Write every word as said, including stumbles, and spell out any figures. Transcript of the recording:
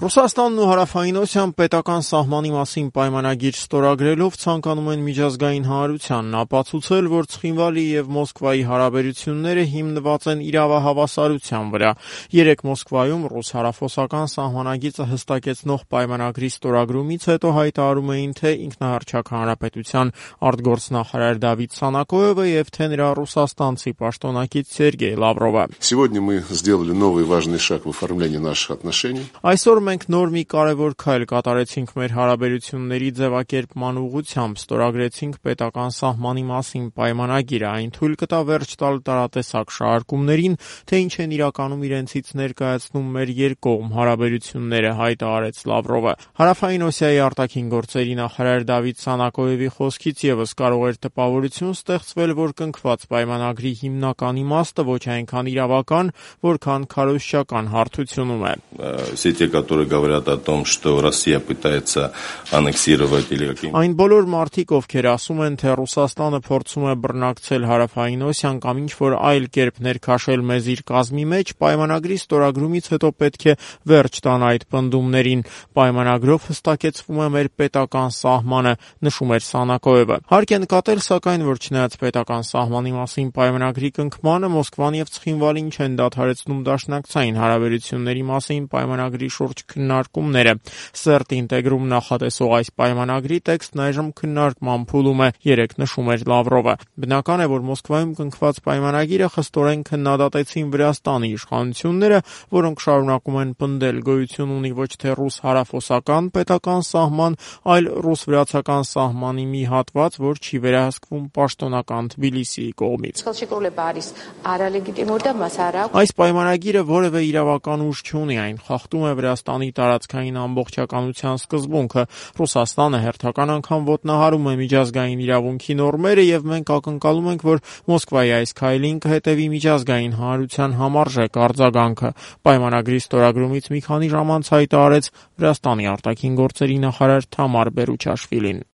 Ռուսաստանն ու Հարավային Օսիան պետական սահմանի մասին պայմանագիր ստորագրելով ցանկանում են միջազգային հանրությանն ապացուցել, որ Ցխինվալի եւ Մոսկվայի հարաբերությունները հիմնված են իրավահավասարության վրա։ Երեկ Մոսկվայում ռուս-հարավոսական սահմանագիծը հստակեցնող պայմանագրի ստորագրումից հետո հայտարարում էին թե ինքնահռչակ հանրապետության արտգործնախարար Դավիթ Սանակոևը եւ թե նրա ռուսաստանցի պաշտոնակից Սերգեյ Լավրովը։ Сегодня мы сделали новый важный шаг в оформлении наших отношений. Այսօր մենք նոր մի կարևոր քայլ կատարեցինք մեր հարաբերությունների ձևակերպման ուղղությամբ, ստորագրեցինք պետական սահմանի մասին պայմանագիրը, այն թույլ կտա վերջ տալ տարատեսակ շահարկումներին, թե ինչ են իրականում իրենցից ներկայացնում մեր երկկողմ հարաբերությունները, հայտարարեց Լավրովը։ Հարավային Օսիայի արտաքին գործերի նախարար Դավիթ Սանակոևի խոսքից եւս կարող էր տպավորություն ստեղծվել, որ կնքված պայմանագրի հիմնական իմաստը ոչ այնքան իրավական, որքան քարոզչական հարթությունում է։ Все те, которые говорят о том, что Россия пытается аннексировать или каким-то... Այն բոլոր մարդիկ, ովքեր ասում են, թե Ռուսաստանը փորձում է բռնակցել Հարավային Օսիան կամ ինչ-որ այլ կերպ ներքաշել մեզ իր կազմի մեջ, պայմանագրի ստորագրումից հետո պետք է վերջ տան այդ պնդումներին։ Պայմանագրով հստակեցվում է մեր պետական սահմանը, նշում էր Սանակոևը։ Հարկ է նկատել, սակայն, որ չնայած պետական սահմանի մասին պայմանագրի կնքմանը, Մոսկվան եւ Ցխինվալին չեն դադարեցնում դաշնակցային հարաբերությունների մասին պայմանագրի շուրջ քննարկումները։ Սերտ ինտեգրում նախատեսող այս պայմանագրի տեքստն այժմ քննարկման փուլում է, երեկ նշում էր Լավրովը։ Բնական է, որ Մոսկվայում կնքված պայմանագիրը խստորեն քննադատեցին Վրաստանի իշխանությունները, որոնք շարունակում են պնդել գոյություն ունի ոչ թե ռուս-հարավոսական պետական սահման, այլ ռուս-վրացական սահմանի մի հատված, որ չի վերահսկվում պաշտոնական Թբիլիսիի կողմից։ Այս պայմանագիրը որևէ իրավական ուժ չունի, այն խախտում է Վրաստանի տարածքային ամբողջականության սկզբունքը։ Ռուսաստանը հերթական անգամ ոտնահարում է միջազգային իրավունքի նորմերը եւ մենք ակնկալում ենք, որ Մոսկվայի այս քայլին կհետեւի միջազգային հանրության համարժեք արձագանքը։ Պայմանագրի ստորագրումից մի քանի ժամ անց հայտարարեց Վրաստանի արտաքին գործերի նախարար Թամար Բերուչաշվիլին։